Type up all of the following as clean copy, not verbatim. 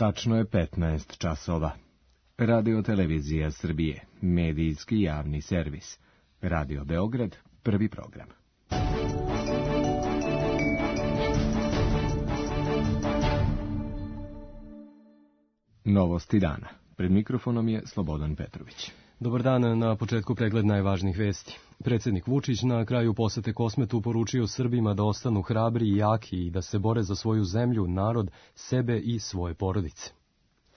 Tačno je 15 časova. Radio Televizija Srbije, medijski javni servis. Radio Beograd, prvi program. Novosti dana. Pred mikrofonom je Slobodan Petrović. Dobar dan, na početku pregled najvažnijih vesti. Predsjednik Vučić na kraju posete Kosmetu poručio Srbima da ostanu hrabri i jaki i da se bore za svoju zemlju, narod, sebe i svoje porodice.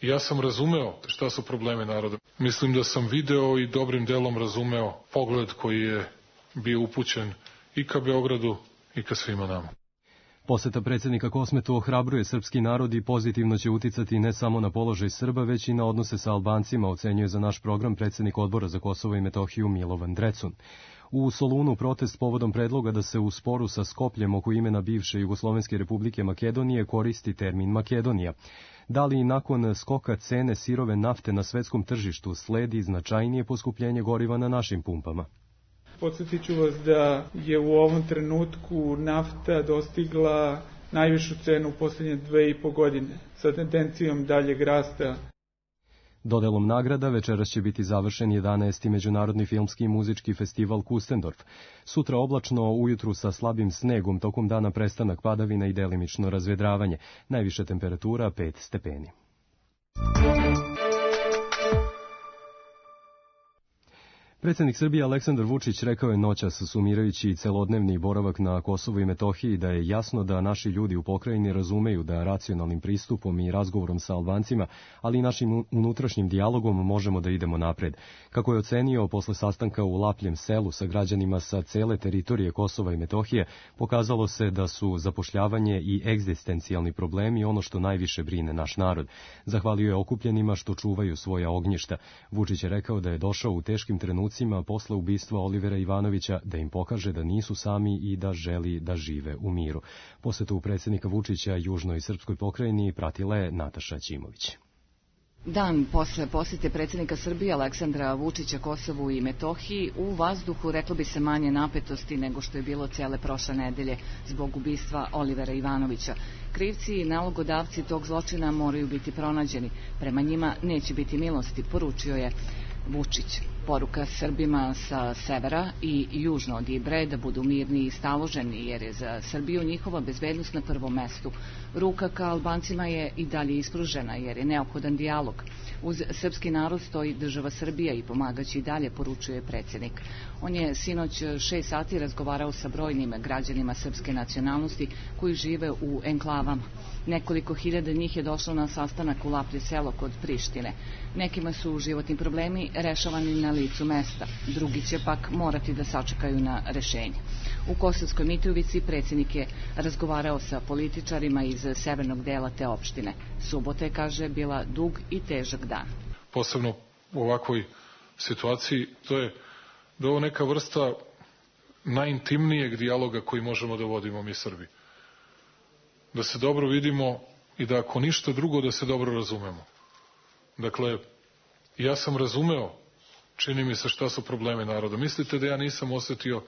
Ja sam razumeo šta su probleme naroda. Mislim da sam video i dobrim delom razumeo pogled koji je bio upućen i ka Beogradu i ka svima nama. Poseta predsjednika Kosmetu ohrabruje srpski narod i pozitivno će uticati ne samo na položaj Srba, već i na odnose sa Albancima, ocenjuje za naš program predsjednik Odbora za Kosovo i Metohiju Milovan Drecun. U Solunu protest povodom predloga da se u sporu sa Skopljem oko imena bivše Jugoslovenske republike Makedonije koristi termin Makedonija. Da li i nakon skoka cene sirove nafte na svetskom tržištu sledi značajnije poskupljenje goriva na našim pumpama? Podsjetit ću vas da je u ovom trenutku nafta dostigla najvišu cenu u posljednje 2,5 godine, sa tendencijom daljeg rasta. Dodelom nagrada večeras će biti završen 11. Međunarodni filmski i muzički festival Kustendorf. Sutra oblačno, ujutru sa slabim snegom, tokom dana prestanak padavina i delimično razvedravanje. Najviša temperatura 5 stepeni. Predsjednik Srbije Aleksandar Vučić rekao je noćas, sumirajući celodnevni boravak na Kosovu i Metohiji, da je jasno da naši ljudi u pokrajini razumeju da racionalnim pristupom i razgovorom sa Albancima, ali i našim unutrašnjim dijalogom možemo da idemo napred. Kako je ocenio posle sastanka u Lapljem selu sa građanima sa cele teritorije Kosova i Metohije, pokazalo se da su zapošljavanje i egzistencijalni problemi ono što najviše brine naš narod. Zahvalio je okupljenima što čuvaju svoja ognjišta. Vučić je rekao da je došao u teškim trenucima posle ubistva Olivera Ivanovića da im pokaže da nisu sami i da želi da žive u miru. Posetu predsjednika Vučića južnoj srpskoj pokrajini pratila je Nataša Ćimović. Dan posle posjete predsjednika Srbije Aleksandra Vučića Kosovu i Metohiji u vazduhu reklo bi se manje napetosti nego što je bilo cijele prošle nedelje zbog ubistva Olivera Ivanovića. Krivci i nalogodavci tog zločina moraju biti pronađeni. Prema njima neće biti milosti, poručio je Vučić. Poruka Srbima sa severa i južno od Ibre da budu mirni i staloženi, jer je za Srbiju njihova bezbednost na prvom mestu. Ruka ka Albancima je i dalje ispružena, jer je neophodan dijalog. Uz srpski narod stoji država Srbija i pomagaće i dalje, poručuje predsjednik. On je sinoć 6 sati razgovarao sa brojnim građanima srpske nacionalnosti koji žive u enklavama. Nekoliko hiljada njih je došlo na sastanak u Laplje selo kod Prištine. Nekima su životni problemi rešavani na licu mesta, drugi će pak morati da sačekaju na rešenje. U Kosovskoj Mitrovici predsjednik je razgovarao sa političarima iz severnog dela te opštine. Subota je, kaže, bila dug i težak dan. Posebno u ovakvoj situaciji, to je da ovo neka vrsta najintimnijeg dijaloga koji možemo da vodimo mi Srbi. Da se dobro vidimo i da ako ništa drugo da se dobro razumemo. Dakle, ja sam razumeo, čini mi se, šta su problemi naroda. Mislite da ja nisam osetio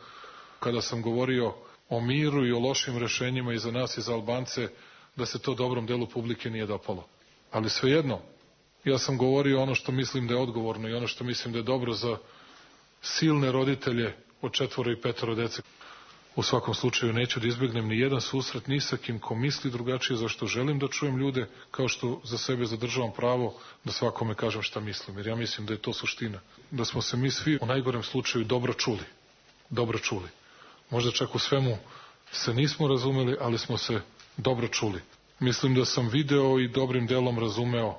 kada sam govorio o miru i o lošim rešenjima i za nas i za Albance, da se to dobrom delu publike nije dopalo. Ali svejedno, ja sam govorio ono što mislim da je odgovorno i ono što mislim da je dobro za silne roditelje od 4 i 5 dece. U svakom slučaju neću da izbjegnem ni jedan susret ni sa kim ko misli drugačije, zašto želim da čujem ljude, kao što za sebe zadržavam pravo da svakome kažem šta mislim. Jer ja mislim da je to suština. Da smo se mi svi u najgorem slučaju dobro čuli. Dobro čuli. Možda čak u svemu se nismo razumeli, ali smo se dobro čuli. Mislim da sam video i dobrim delom razumeo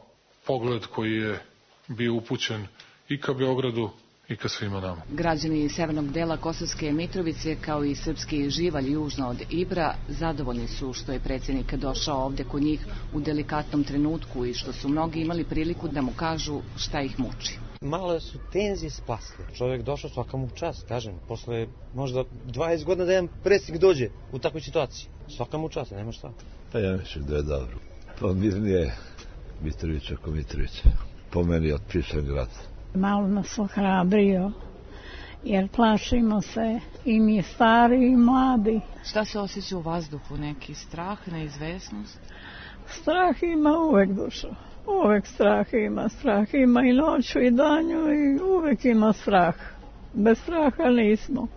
pogled koji je bio upućen i ka Beogradu i ka svima nama. Građani severnog dela Kosovske Mitrovice, kao i srpski živalj južno od Ibra, zadovoljni su što je predsjednik došao ovde kod njih u delikatnom trenutku i što su mnogi imali priliku da mu kažu šta ih muči. Malo su tenzije splasle. Čovjek došao, svaka mu čast, kažem. Posle možda 20 godina da jedan predsjednik dođe u takvoj situaciji. Svaka mu čast, nema šta. Pa ja mislim da je dobro. Pa mirnije Mitrović ako Mitrović. Po meni otpisan grad. Malo nas ohrabrio, jer plašimo se i mi stari i mladi. Šta se osjeća u vazduhu? Neki strah, neizvesnost? Strah ima uvek, dušo. Uvek strah ima i noću i danju i uvek ima strah. Bez straha nismo.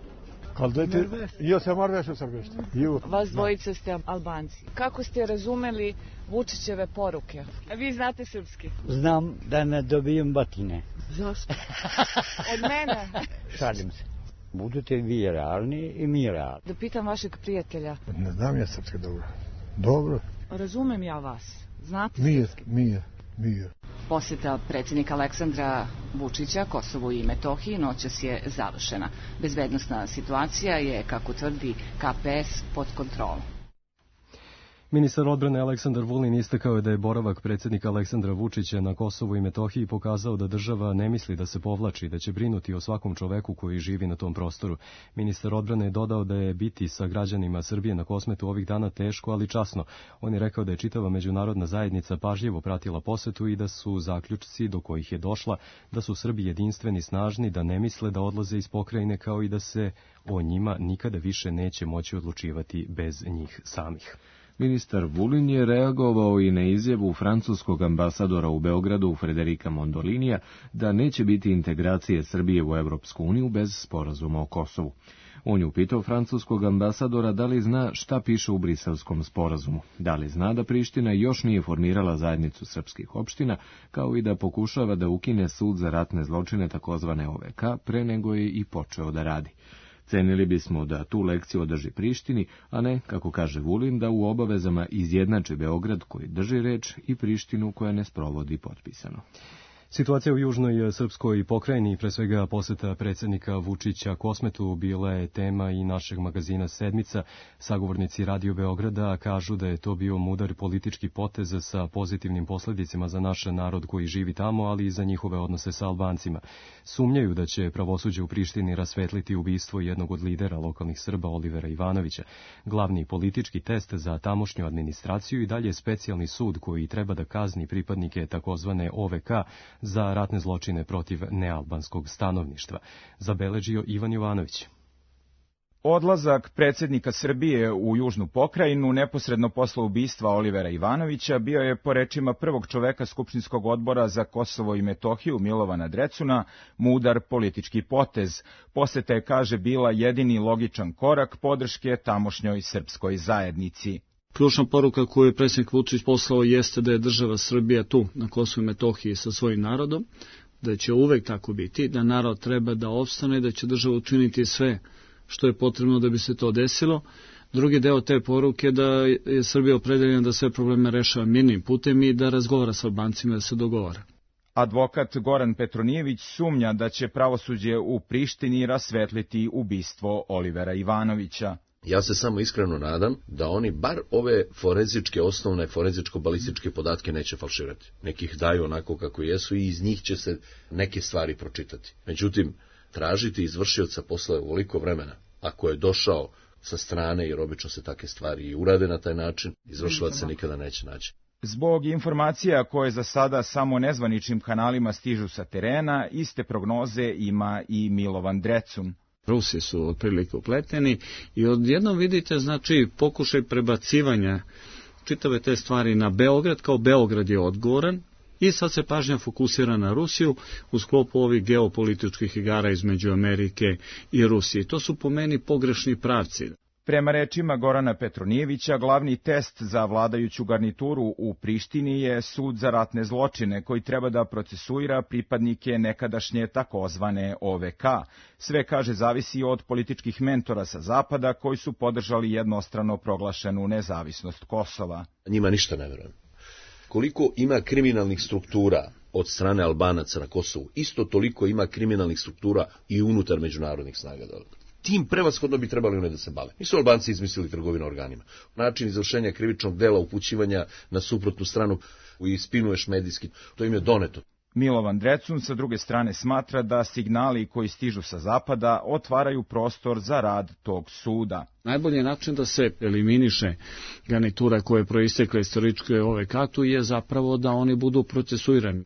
Vas dvojica ste Albanci. Kako ste razumeli Vučićeve poruke? A vi znate srpski? Znam da ne dobijem batine. Zašto? Od mene? Šalim se. Budete vi realni i mi realni. Da pitam vašeg prijatelja. Ne znam ja srpski dobro. Dobro. Razumem ja vas. Znate srpski? Mir. Posjeta predsjednika Aleksandra Vučića Kosovu i Metohiji noćas je završena. Bezbednosna situacija je, kako tvrdi KPS, pod kontrolom. Ministar odbrane Aleksandar Vulin istakao je da je boravak predsjednika Aleksandra Vučića na Kosovu i Metohiji pokazao da država ne misli da se povlači, da će brinuti o svakom čoveku koji živi na tom prostoru. Ministar odbrane je dodao da je biti sa građanima Srbije na Kosmetu ovih dana teško, ali časno. On je rekao da je čitava međunarodna zajednica pažljivo pratila posetu i da su zaključci do kojih je došla da su Srbi jedinstveni, snažni, da ne misle da odlaze iz pokrajine, kao i da se o njima nikada više neće moći odlučivati bez njih samih. Ministar Vulin je reagovao i na izjavu francuskog ambasadora u Beogradu Frederika Mondolinija da neće biti integracije Srbije u Evropsku uniju bez sporazuma o Kosovu. On je upitao francuskog ambasadora da li zna šta piše u Briselskom sporazumu, da li zna da Priština još nije formirala zajednicu srpskih opština, kao i da pokušava da ukine sud za ratne zločine takozvane OVK pre nego je i počeo da radi. Cenili bismo da tu lekciju održi Prištini, a ne, kako kaže Vulin, da u obavezama izjednači Beograd koji drži reč i Prištinu koja ne sprovodi potpisano. Situacija u južnoj srpskoj pokrajini, pre svega poseta predsjednika Vučića Kosmetu, bila je tema i našeg magazina Sedmica. Sagovornici Radio Beograda kažu da je to bio mudar politički potez sa pozitivnim posljedicama za naš narod koji živi tamo, ali i za njihove odnose sa Albancima. Sumnjaju da će pravosuđe u Prištini rasvetliti ubistvo jednog od lidera lokalnih Srba, Olivera Ivanovića. Glavni politički test za tamošnju administraciju i dalje specijalni sud koji treba da kazni pripadnike takozvane OVK za ratne zločine protiv nealbanskog stanovništva, zabeležio Ivan Jovanović. Odlazak predsjednika Srbije u južnu pokrajinu neposredno posle ubistva Olivera Ivanovića bio je, po rečima prvog čoveka Skupštinskog odbora za Kosovo i Metohiju Milovana Drecuna, mudar politički potez. Poseta je, kaže, bila jedini logičan korak podrške tamošnjoj srpskoj zajednici. Ključna poruka koju je predsjednik Vučić poslao jeste da je država Srbija tu na Kosovu i Metohiji sa svojim narodom, da će uvek tako biti, da narod treba da opstane, da će država učiniti sve što je potrebno da bi se to desilo. Drugi deo te poruke da je Srbija opredeljena da sve probleme rešava mirnim putem i da razgovara sa Albancima, da se dogovara. Advokat Goran Petronijević sumnja da će pravosuđe u Prištini rasvetliti ubistvo Olivera Ivanovića. Ja se samo iskreno nadam da oni bar ove forenzičke, osnovne forenzičko-balističke podatke neće falširati. Nekih daju onako kako jesu i iz njih će se neke stvari pročitati. Međutim, tražiti izvršioca posle ovoliko vremena, ako je došao sa strane, jer obično se takve stvari i urade na taj način, izvršilac se nikada neće naći. Zbog informacija koje za sada samo nezvaničnim kanalima stižu sa terena, iste prognoze ima i Milovan Drecun. Rusi su otprilike upleteni i odjednom vidite, znači, pokušaj prebacivanja čitave te stvari na Beograd, kao Beograd je odgovoran i sad se pažnja fokusira na Rusiju u sklopu ovih geopolitičkih igara između Amerike i Rusije. To su po meni pogrešni pravci. Prema rečima Gorana Petronijevića, glavni test za vladajuću garnituru u Prištini je sud za ratne zločine, koji treba da procesuira pripadnike nekadašnje takozvane OVK. Sve, kaže, zavisi od političkih mentora sa zapada koji su podržali jednostrano proglašenu nezavisnost Kosova. Njima ništa ne verujem. Koliko ima kriminalnih struktura od strane Albanaca na Kosovu, isto toliko ima kriminalnih struktura i unutar međunarodnih snaga dole. Tim prevashodno bi trebali one da se bave. Nisu Albanci izmislili trgovinu organima. Način izvršenja krivičnog dela, upućivanja na suprotnu stranu i spinuješ medijski, to im je doneto. Milovan Drecun sa druge strane smatra da signali koji stižu sa zapada otvaraju prostor za rad tog suda. Najbolji način da se eliminiše garnitura koja je proistekla iz istoričke OVK je zapravo da oni budu procesuirani.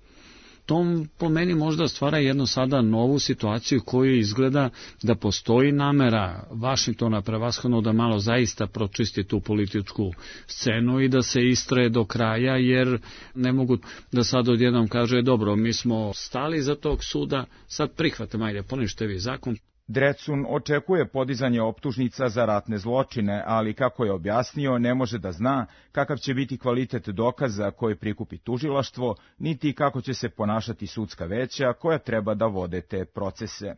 To po meni možda stvara jednu sada novu situaciju koju izgleda da postoji namera Vašingtona prevashodno da malo zaista pročisti tu političku scenu i da se istraje do kraja, jer ne mogu da sad odjednom kaže dobro, mi smo stali za tog suda, sad prihvatamo, ajde, ponište vi zakon. Drecun očekuje podizanje optužnica za ratne zločine, ali kako je objasnio, ne može da zna kakav će biti kvalitet dokaza koje prikupi tužilaštvo, niti kako će se ponašati sudska veća koja treba da vode te procese.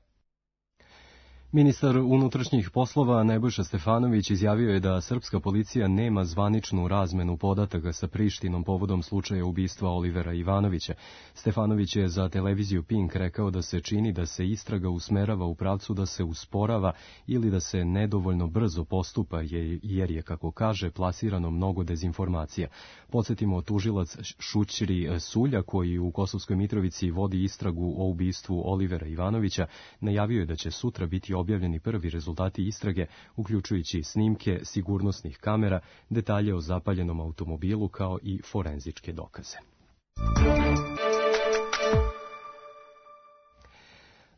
Ministar unutrašnjih poslova Nebojša Stefanović izjavio je da srpska policija nema zvaničnu razmenu podataka sa Prištinom povodom slučaja ubistva Olivera Ivanovića. Stefanović je za televiziju Pink rekao da se čini da se istraga usmerava u pravcu da se usporava ili da se nedovoljno brzo postupa, jer je, kako kaže, plasirano mnogo dezinformacija. Podsjetimo, tužilac Šućri Sulja, koji u Kosovskoj Mitrovici vodi istragu o ubistvu Olivera Ivanovića, najavio je da će sutra biti objavljeni prvi rezultati istrage, uključujući snimke sigurnosnih kamera, detalje o zapaljenom automobilu kao i forenzičke dokaze.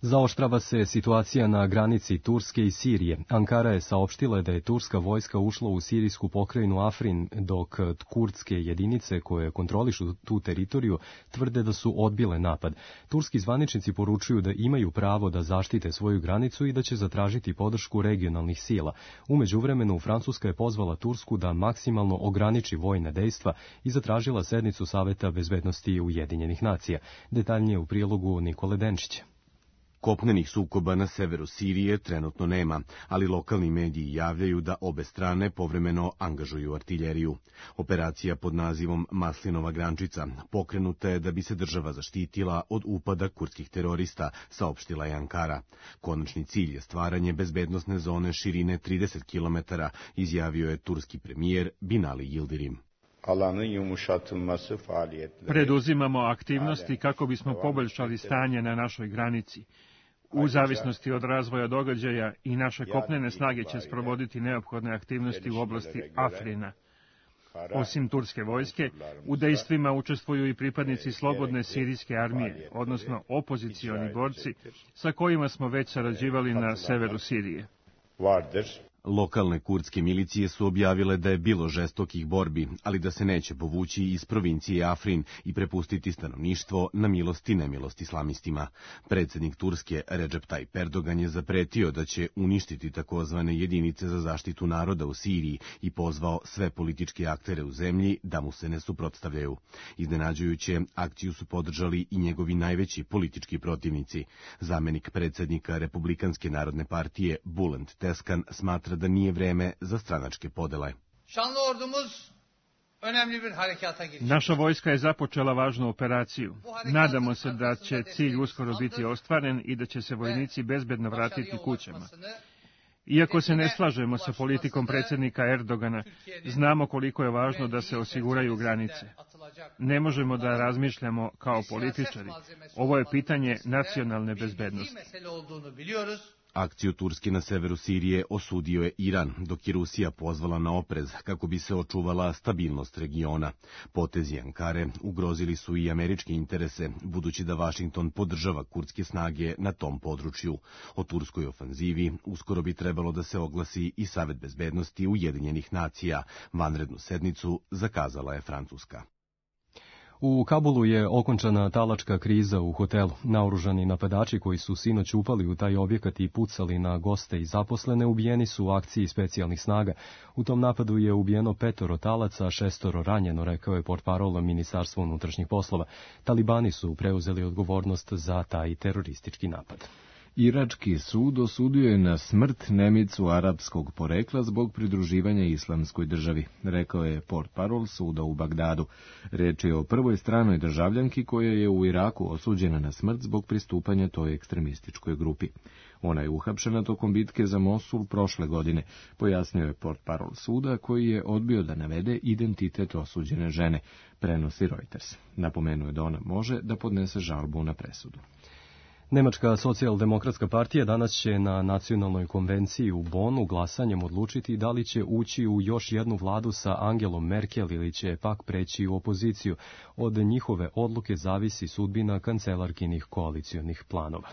Zaoštrava se situacija na granici Turske i Sirije. Ankara je saopštila da je turska vojska ušla u sirijsku pokrajinu Afrin, dok kurdske jedinice koje kontrolišu tu teritoriju tvrde da su odbile napad. Turski zvaničnici poručuju da imaju pravo da zaštite svoju granicu i da će zatražiti podršku regionalnih sila. U međuvremenu, Francuska je pozvala Tursku da maksimalno ograniči vojna dejstva i zatražila sednicu Saveta bezbednosti Ujedinjenih nacija. Detaljnije u prilogu Nikole Denčića. Kopnenih sukoba na severu Sirije trenutno nema, ali lokalni mediji javljaju da obe strane povremeno angažuju artiljeriju. Operacija pod nazivom Maslinova grančica pokrenuta je da bi se država zaštitila od upada kurdskih terorista, saopštila je Ankara. Konačni cilj je stvaranje bezbednosne zone širine 30 km, izjavio je turski premijer Binali Yildirim. Preduzimamo aktivnosti kako bismo poboljšali stanje na našoj granici. U zavisnosti od razvoja događaja i naše kopnene snage će sprovoditi neophodne aktivnosti u oblasti Afrina. Osim turske vojske, u dejstvima učestvuju i pripadnici slobodne sirijske armije, odnosno opozicioni borci, sa kojima smo već sarađivali na severu Sirije. Lokalne kurdske milicije su objavile da je bilo žestokih borbi, ali da se neće povući iz provincije Afrin i prepustiti stanovništvo na milost i nemilost islamistima. Predsjednik Turske Recep Tayyip Erdogan je zapretio da će uništiti takozvane jedinice za zaštitu naroda u Siriji i pozvao sve političke aktere u zemlji da mu se ne suprotstavljaju. Iznenađujuće, akciju su podržali i njegovi najveći politički protivnici. Zamenik predsjednika Republikanske narodne partije Bülent Teskan smatra da nije vreme za stranačke podele. Naša vojska je započela važnu operaciju. Nadamo se da će cilj uskoro biti ostvaren i da će se vojnici bezbedno vratiti kućama. Iako se ne slažemo sa politikom predsjednika Erdogana, znamo koliko je važno da se osiguraju granice. Ne možemo da razmišljamo kao političari. Ovo je pitanje nacionalne bezbednosti. Akciju Turske na severu Sirije osudio je Iran, dok je Rusija pozvala na oprez kako bi se očuvala stabilnost regiona. Potezi Ankare ugrozili su i američke interese, budući da Vašington podržava kurdske snage na tom području. O turskoj ofanzivi uskoro bi trebalo da se oglasi i Savet bezbednosti Ujedinjenih nacija. Vanrednu sednicu zakazala je Francuska. U Kabulu je okončana talačka kriza u hotelu. Naoružani napadači koji su sinoć upali u taj objekat i pucali na goste i zaposlene ubijeni su u akciji specijalnih snaga. U tom napadu je ubijeno 5 talaca, a 6 ranjeno, rekao je portparol Ministarstva unutrašnjih poslova. Talibani su preuzeli odgovornost za taj teroristički napad. Irački sud osudio je na smrt Nemicu arapskog porekla zbog pridruživanja islamskoj državi, rekao je portparol suda u Bagdadu. Reč je o prvoj stranoj državljanki koja je u Iraku osuđena na smrt zbog pristupanja toj ekstremističkoj grupi. Ona je uhapšena tokom bitke za Mosul prošle godine, pojasnio je portparol suda koji je odbio da navede identitet osuđene žene, prenosi Reuters. Napomenuo je da ona može da podnese žalbu na presudu. Nemačka socijaldemokratska partija danas će na nacionalnoj konvenciji u Bonu glasanjem odlučiti da li će ući u još jednu vladu sa Angelom Merkel ili će pak preći u opoziciju. Od njihove odluke zavisi sudbina kancelarkinih koalicionih planova.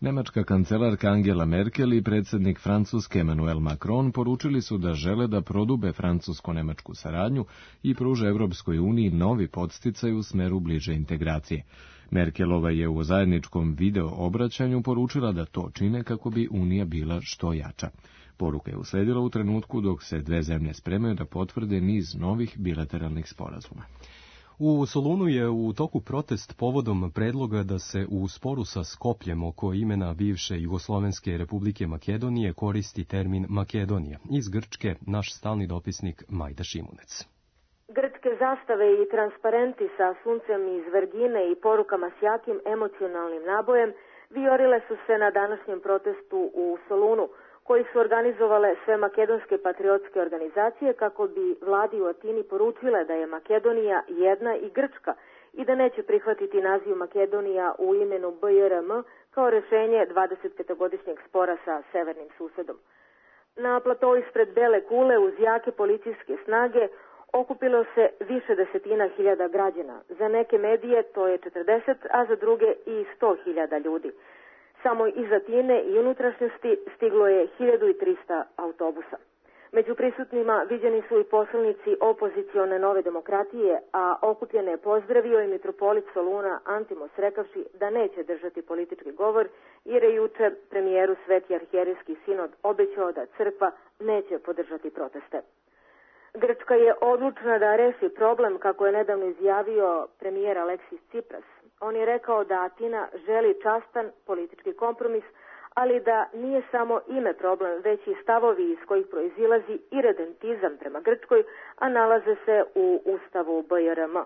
Nemačka kancelarka Angela Merkel i predsjednik Francuske Emmanuel Macron poručili su da žele da prodube francusko-nemačku saradnju i pruže Evropskoj uniji novi podsticaj u smeru bliže integracije. Merkelova je u zajedničkom video obraćanju poručila da to čine kako bi Unija bila što jača. Poruka je usledila u trenutku dok se dve zemlje spremaju da potvrde niz novih bilateralnih sporazuma. U Solunu je u toku protest povodom predloga da se u sporu sa Skopljem oko imena bivše Jugoslovenske republike Makedonije koristi termin Makedonija. Iz Grčke naš stalni dopisnik Majda Šimunec. Grčke zastave i transparenti sa suncem iz Vergine i porukama s jakim emocionalnim nabojem vijorile su se na današnjem protestu u Solunu, koji su organizovale sve makedonske patriotske organizacije kako bi vladi u Atini poručile da je Makedonija jedna i Grčka i da neće prihvatiti naziv Makedonija u imenu BJRM kao rešenje 25-godišnjeg spora sa severnim susedom. Na platovu ispred Bele kule uz jake policijske snage okupilo se više desetina hiljada građana. Za neke medije to je 40, a za druge i 100.000 ljudi. Samo iz Atine i unutrašnjosti stiglo je 1300 autobusa. Među prisutnima viđeni su i poslanici opozicione Nove demokratije, a okupljene je pozdravio i mitropolit Soluna Antimos rekavši da neće držati politički govor jer je juče premijeru Sveti arhijerejski sinod obećao da crkva neće podržati proteste. Grčka je odlučna da reši problem, kako je nedavno izjavio premijer Aleksis Tsipras. On je rekao da Atina želi častan politički kompromis, ali da nije samo ime problem, već i stavovi iz kojih proizilazi iredentizam prema Grčkoj, a nalaze se u ustavu BJRM.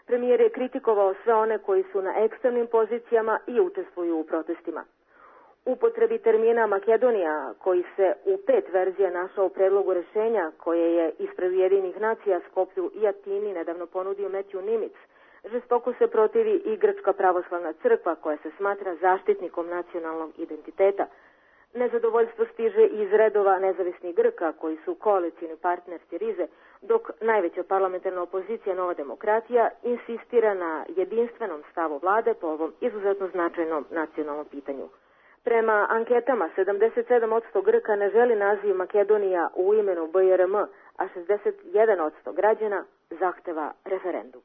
Premijer je kritikovao sve one koji su na ekstremnim pozicijama i učestvuju u protestima. Upotrebi termina Makedonija, koji se u 5 verzija našao u predlogu rešenja koje je ispred Ujedinjenih nacija Skoplju i Atini nedavno ponudio Matthew Nimitz, žestoko se protivi i Grčka pravoslavna crkva koja se smatra zaštitnikom nacionalnog identiteta. Nezadovoljstvo stiže iz redova nezavisnih Grka koji su koalicijni partner Sirize, dok najveća parlamentarna opozicija Nova demokratija insistira na jedinstvenom stavu vlade po ovom izuzetno značajnom nacionalnom pitanju. Prema anketama 77% Grka ne želi naziv Makedonija u imenu BJRM, a 61% građana zahteva referendum.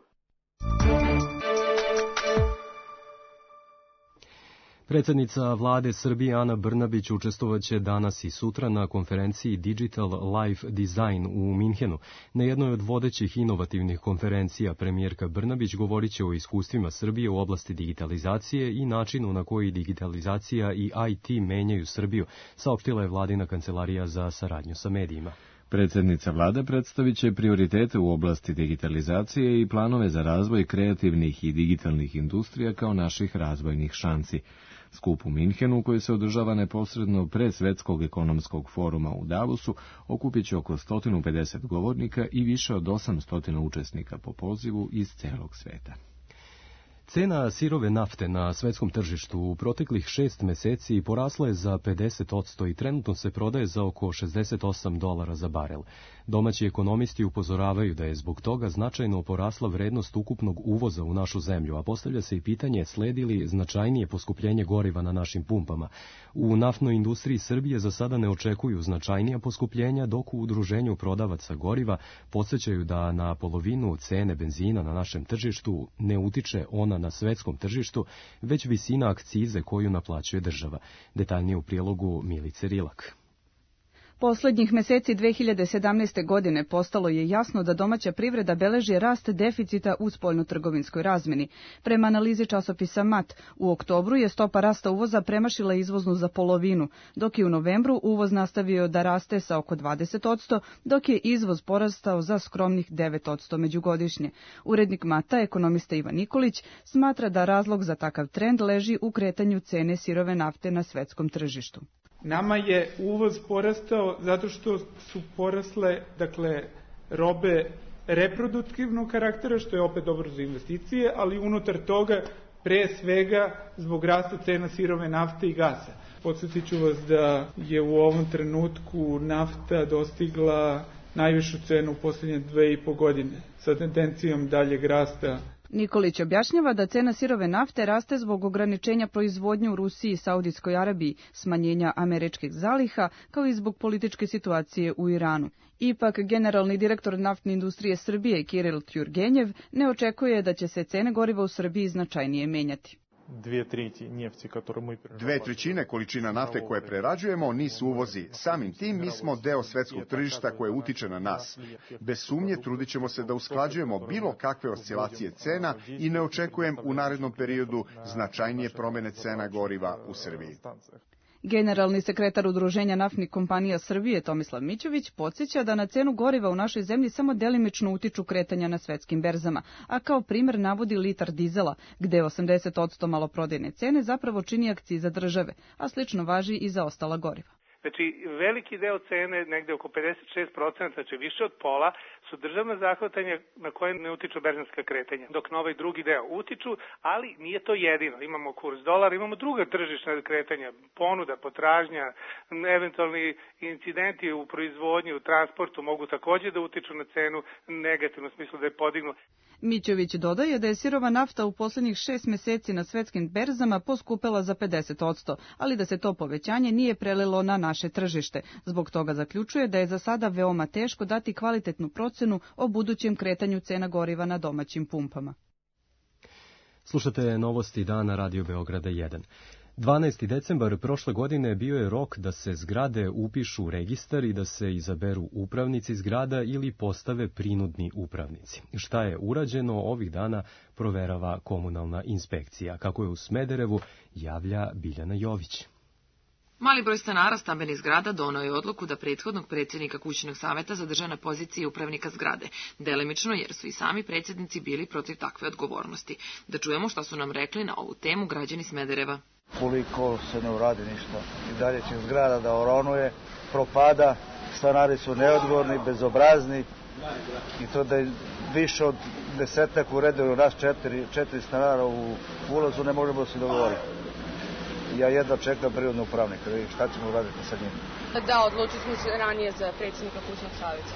Predsjednica vlade Srbije Ana Brnabić učestvovaće danas i sutra na konferenciji Digital Life Design u Minhenu. Na jednoj od vodećih inovativnih konferencija premijerka Brnabić govorit će o iskustvima Srbije u oblasti digitalizacije i načinu na koji digitalizacija i IT menjaju Srbiju, saopštila je vladina kancelarija za saradnju sa medijima. Predsjednica vlade predstavit će prioritete u oblasti digitalizacije i planove za razvoj kreativnih i digitalnih industrija kao naših razvojnih šansi. Skup u Minhenu, koji se održava neposredno pre Svetskog ekonomskog foruma u Davosu, okupit će oko 150 govornika i više od 800 učesnika po pozivu iz celog sveta. Cena sirove nafte na svetskom tržištu u proteklih 6 meseci porasla je za 50% i trenutno se prodaje za oko $68 za barel. Domaći ekonomisti upozoravaju da je zbog toga značajno porasla vrednost ukupnog uvoza u našu zemlju, a postavlja se i pitanje sledi li značajnije poskupljenje goriva na našim pumpama. U naftnoj industriji Srbije za sada ne očekuju značajnija poskupljenja, dok u udruženju prodavaca goriva podsjećaju da na polovinu cene benzina na našem tržištu ne utiče ona na svetskom tržištu, već visina akcize koju naplaćuje država. Detaljnije u prilogu Milice Rilak. Poslednjih meseci 2017. godine postalo je jasno da domaća privreda beleži rast deficita u spoljnotrgovinskoj razmeni. Prema analizi časopisa MAT, u oktobru je stopa rasta uvoza premašila izvoznu za polovinu, dok je u novembru uvoz nastavio da raste sa oko 20%, dok je izvoz porastao za skromnih 9% međugodišnje. Urednik MAT-a, ekonomista Ivan Nikolić, smatra da razlog za takav trend leži u kretanju cene sirove nafte na svetskom tržištu. Nama je uvoz porastao zato što su porasle, robe reproduktivnog karaktera, što je opet dobro za investicije, ali unutar toga pre svega zbog rasta cena sirove nafte i gasa. Podsjetit ću vas da je u ovom trenutku nafta dostigla najvišu cenu u posljednje 2,5 godine, sa tendencijom daljeg rasta. Nikolić objašnjava da cena sirove nafte raste zbog ograničenja proizvodnje u Rusiji i Saudijskoj Arabiji, smanjenja američkih zaliha, kao i zbog političke situacije u Iranu. Ipak, generalni direktor naftne industrije Srbije Kiril Tjurgenjev ne očekuje da će se cene goriva u Srbiji značajnije menjati. 2/3 količina nafte koje prerađujemo nisu uvozi. Samim tim mi smo deo svetskog tržišta koje utiče na nas. Bez sumnje trudit ćemo se da usklađujemo bilo kakve oscilacije cena i ne očekujem u narednom periodu značajnije promene cena goriva u Srbiji. Generalni sekretar Udruženja naftnih kompanija Srbije Tomislav Mićović podsjeća da na cenu goriva u našoj zemlji samo delimično utiču kretanja na svetskim berzama, a kao primer navodi litar dizela, gde 80% maloprodajne cene zapravo čini akciza države, a slično važi i za ostala goriva. Znači, veliki deo cene, negde oko 56%, znači više od pola, su državna zahvatanja na koje ne utiču berzanska kretanja, dok na ovaj drugi deo utiču, ali nije to jedino. Imamo kurs dolara, imamo druga tržišna kretanja, ponuda, potražnja, eventualni incidenti u proizvodnji, u transportu mogu takođe da utiču na cenu negativno smislu da je podignu. Mićović dodaje da je sirova nafta u posljednjih 6 meseci na svetskim berzama poskupela za 50%, ali da se to povećanje nije prelilo na naše tržište. Zbog toga zaključuje da je za sada veoma teško dati kvalitetnu procenu o budućem kretanju cena goriva na domaćim pumpama. Slušate novosti dana Radio Beograda 1. 12. decembar prošle godine bio je rok da se zgrade upišu u registar i da se izaberu upravnici zgrada ili postave prinudni upravnici. Šta je urađeno ovih dana proverava komunalna inspekcija. Kako je u Smederevu, javlja Biljana Jović. Mali broj stanara stambenih zgrada doneo je odluku da prethodnog predsjednika kućnog saveta zadrže na poziciji upravnika zgrade, delimično jer su i sami predsjednici bili protiv takve odgovornosti. Da čujemo šta su nam rekli na ovu temu građani Smedereva. Koliko se ne uradi ništa. I dalje će zgrada da oronuje, propada, stanari su neodgovorni, bezobrazni i to da je više od 10 u redu, nas 4 stanara u ulazu ne možemo se dogovoriti. Ja jedva čekam prirodnog upravnika, šta ćemo uraditi sa njim. Da, odlučili smo se ranije za predsjednika kućnog savjeta.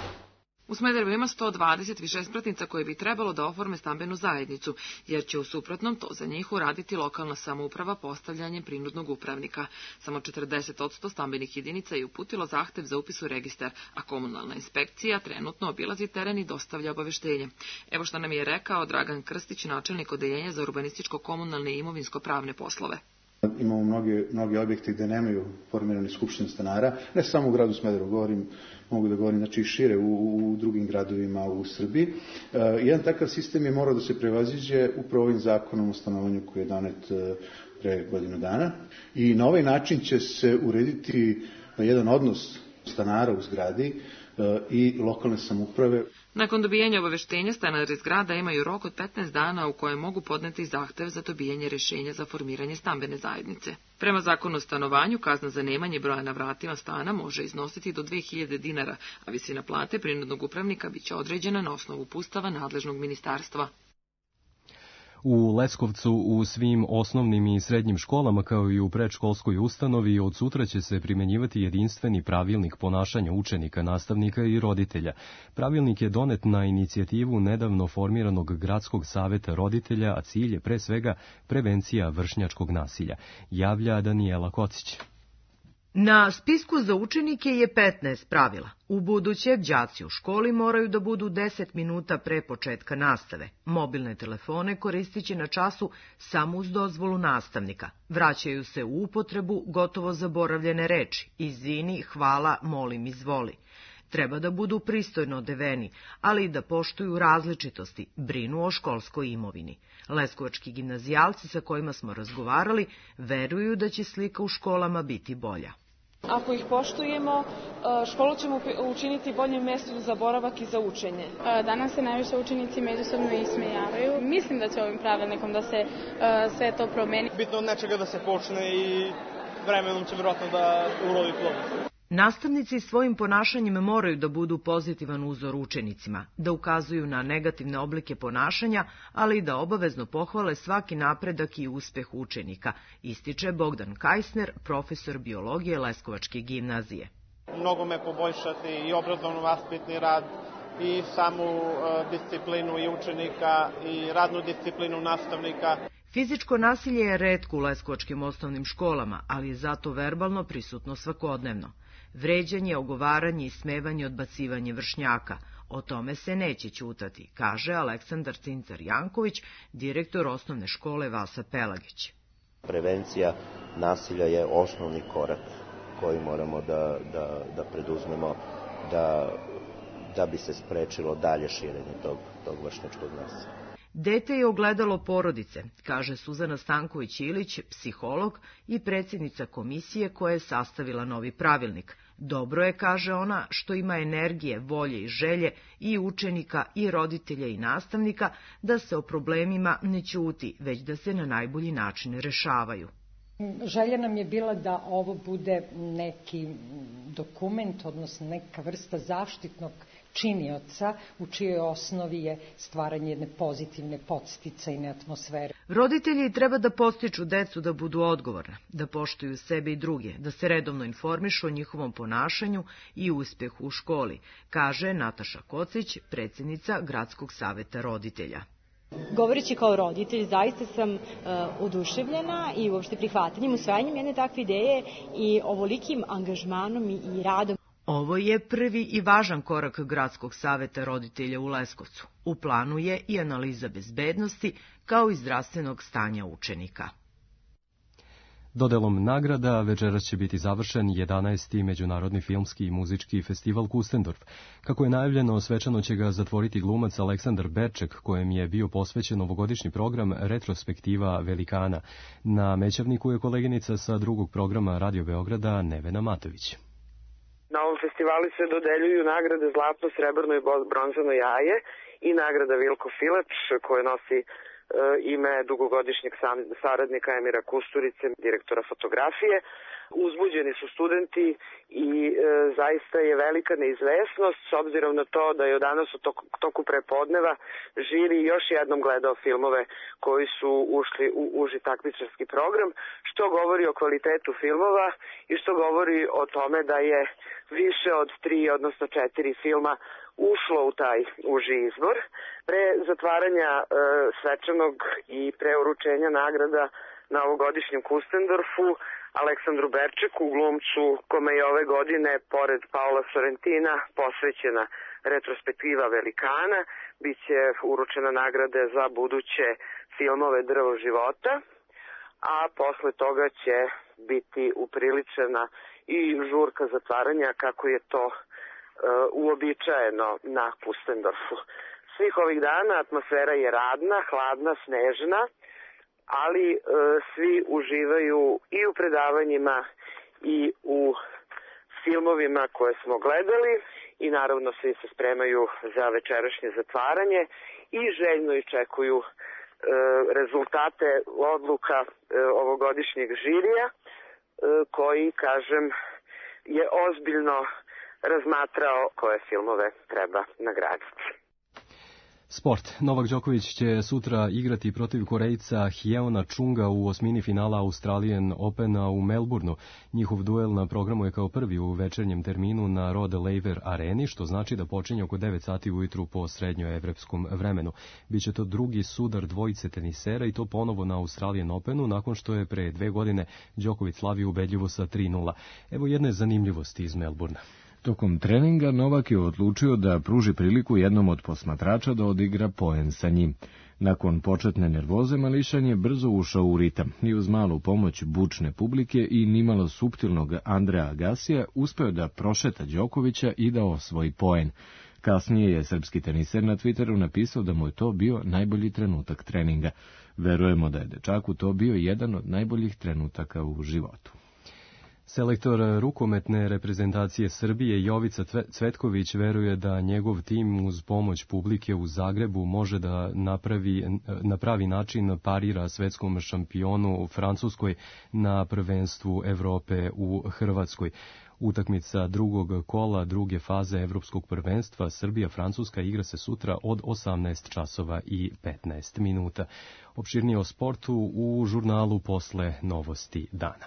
U Smederevu ima 120 višespratnica koje bi trebalo da oforme stambenu zajednicu, jer će u suprotnom to za njih uraditi lokalna samouprava postavljanjem prinudnog upravnika. Samo 40% stambenih jedinica je uputilo zahtev za upis u registar, a komunalna inspekcija trenutno obilazi teren i dostavlja obaveštenje. Evo što nam je rekao Dragan Krstić, načelnik odeljenja za urbanističko-komunalne i imovinsko-pravne poslove. Imamo mnogi objekti gde nemaju formirani skupštine stanara, ne samo u gradu Smederevu, mogu da govorim znači i šire u drugim gradovima u Srbiji. Jedan takav sistem je morao da se prevaziđe upravo ovim zakonom o stanovanju koji je donet pre godinu dana i na ovaj način će se urediti jedan odnos stanara u zgradi i lokalne samouprave. Nakon dobijanja obaveštenja, stanari zgrada imaju rok od 15 dana u kojem mogu podneti zahtev za dobijanje rješenja za formiranje stambene zajednice. Prema zakonu o stanovanju, kazna za nemanje broja na vratima stana može iznositi do 2000 dinara, a visina plate prinudnog upravnika biće određena na osnovu uputstava nadležnog ministarstva. U Leskovcu u svim osnovnim i srednjim školama kao i u predškolskoj ustanovi od sutra će se primjenjivati jedinstveni pravilnik ponašanja učenika, nastavnika i roditelja. Pravilnik je donet na inicijativu nedavno formiranog Gradskog saveta roditelja, a cilj je pre svega prevencija vršnjačkog nasilja, javlja Danijela Kocić. Na spisku za učenike je 15 pravila. U buduće, đaci u školi moraju da budu 10 minuta pre početka nastave. Mobilne telefone koristit će na času samo uz dozvolu nastavnika. Vraćaju se u upotrebu gotovo zaboravljene reči: izvini, hvala, molim, izvoli. Treba da budu pristojno odeveni, ali i da poštuju različitosti, brinu o školskoj imovini. Leskovački gimnazijalci sa kojima smo razgovarali veruju da će slika u školama biti bolja. Ako ih poštujemo, školu ćemo učiniti boljim mestom za boravak i za učenje. Danas se najviše učenici međusobno ismejavaju. Mislim da će ovim pravilnikom da se sve to promeni. Bitno od nečega da se počne i vremenom će vjerojatno da urodi plodom. Nastavnici svojim ponašanjem moraju da budu pozitivan uzor učenicima, da ukazuju na negativne oblike ponašanja, ali i da obavezno pohvale svaki napredak i uspeh učenika, ističe Bogdan Kajsner, profesor biologije Leskovačke gimnazije. Mnogo me poboljšati i obrazovno-vaspitni rad, i samu disciplinu i učenika, i radnu disciplinu nastavnika. Fizičko nasilje je retko u leskovačkim osnovnim školama, ali je zato verbalno prisutno svakodnevno. Vređanje, ogovaranje, ismevanje, odbacivanje vršnjaka. O tome se neće ćutati, kaže Aleksandar Cincar-Janković, direktor osnovne škole Vasa Pelagić. Prevencija nasilja je osnovni korak koji moramo da preduzmemo da bi se sprečilo dalje širenje tog vršnjačkog nasilja. Dete je ogledalo porodice, kaže Suzana Stanković-Ilić, psiholog i predsjednica komisije koja je sastavila novi pravilnik. Dobro je, kaže ona, što ima energije, volje i želje i učenika i roditelja i nastavnika da se o problemima ne ćuti, već da se na najbolji način rešavaju. Želja nam je bila da ovo bude neki dokument, odnosno neka vrsta zaštitnog činioca u čijoj osnovi je stvaranje jedne pozitivne podsticajne atmosfere. Roditelji treba da podstiču decu da budu odgovorne, da poštuju sebe i druge, da se redovno informišu o njihovom ponašanju i uspehu u školi, kaže Nataša Kocić, predsjednica Gradskog saveta roditelja. Govoreći kao roditelj, zaista sam oduševljena i uopšte prihvatanjem, usvajanjem jedne takve ideje i ovolikim angažmanom i radom. Ovo je prvi i važan korak Gradskog saveta roditelja u Leskovcu. U planu je i analiza bezbednosti kao i zdravstvenog stanja učenika. Dodelom nagrada večeras će biti završen 11. Međunarodni filmski i muzički festival Kustendorf. Kako je najavljeno, svečano će ga zatvoriti glumac Aleksandar Berček, kojem je bio posvećen ovogodišnji program Retrospektiva Velikana. Na Mećavniku je koleginica sa drugog programa Radio Beograda Nevena Matović. Na ovom festivalu se dodeljuju nagrade Zlatno, Srebrno i Bronzano jaje i nagrada Vilko Filač, koje nosi ime dugogodišnjeg saradnika Emira Kusturice, direktora fotografije. Uzbuđeni su studenti i zaista je velika neizvesnost s obzirom na to da je danas u toku prepodneva žiri još jednom gledao filmove koji su ušli u uži takmičarski program, što govori o kvalitetu filmova i što govori o tome da je više od 3, odnosno 4 filma ušlo u taj uži izbor. Pre zatvaranja svečanog i pre uručenja nagrada na ovogodišnjem Kustendorfu, Aleksandru Berčeku, glumcu kome je ove godine, pored Paola Sorrentina, posvećena retrospektiva Velikana, biće uručena nagrade za buduće filmove Drvo života, a posle toga će biti upriličena i žurka zatvaranja kako je to uobičajeno na Kustendorfu. Svih ovih dana atmosfera je radna, hladna, snežna, ali svi uživaju i u predavanjima i u filmovima koje smo gledali i naravno svi se spremaju za večerašnje zatvaranje i željno iščekuju rezultate odluka ovogodišnjeg žirija koji, kažem, je ozbiljno razmatrao koje filmove treba nagraditi. Sport. Novak Đoković će sutra igrati protiv Korejca Hyeona Chunga u osmini finala Australian Opena u Melbourneu. Njihov duel na programu je kao prvi u večernjem terminu na Rod Laver areni, što znači da počinje oko 9 sati ujutru po srednjoevrepskom vremenu. Biće to drugi sudar dvojice tenisera i to ponovo na Australian Openu, nakon što je pre 2 godine Đoković slavio ubedljivo sa 3:0. Evo jedne zanimljivosti iz Melbournea. Tokom treninga Novak je odlučio da pruži priliku jednom od posmatrača da odigra poen sa njim. Nakon početne nervoze Mališan je brzo ušao u ritam i uz malu pomoć bučne publike i nimalo suptilnog Andrea Agasija uspeo da prošeta Đokovića i da osvoji poen. Kasnije je srpski teniser na Twitteru napisao da mu je to bio najbolji trenutak treninga. Verujemo da je dečaku to bio jedan od najboljih trenutaka u životu. Selektor rukometne reprezentacije Srbije Jovica Cvetković veruje da njegov tim uz pomoć publike u Zagrebu može da na pravi način parira svetskom šampionu u Francuskoj na prvenstvu Evrope u Hrvatskoj. Utakmica drugog kola druge faze Evropskog prvenstva Srbija-Francuska igra se sutra od 18 časova i 15 minuta. Opširnije o sportu u žurnalu posle novosti dana.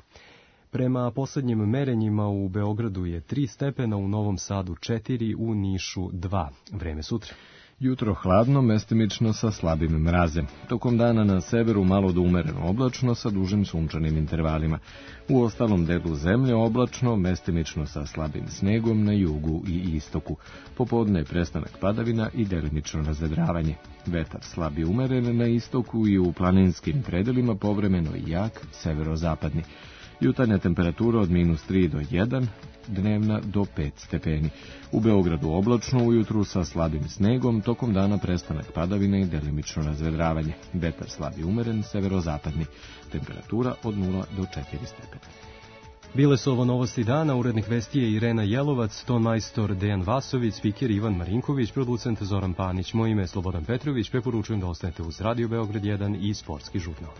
Prema poslednjim merenjima u Beogradu je 3 stepena, u Novom Sadu 4, u Nišu 2. Vreme sutra. Jutro hladno, mestimično sa slabim mrazem. Tokom dana na severu malo do umereno oblačno sa dužim sunčanim intervalima. U ostalom delu zemlje oblačno, mestimično sa slabim snegom na jugu i istoku. Popodne je prestanak padavina i delimično razvedravanje. Vetar slab i umeren na istoku i u planinskim predelima, povremeno i jak severozapadni. Jutarnja temperatura od -3 do 1, dnevna do 5 stepeni. U Beogradu oblačno ujutru sa slabim snegom, tokom dana prestanak padavine i delimično razvedravanje. Vetar slab i umeren, severozapadni. Temperatura od 0 do 4 stepena. Bile su ovo novosti dana, urednik vesti je Irena Jelovac, tonmajstor Dejan Vasović, spiker Ivan Marinković, producent Zoran Panić. Moje ime je Slobodan Petrović, preporučujem da ostanete uz Radio Beograd 1 i Sportski žurnal.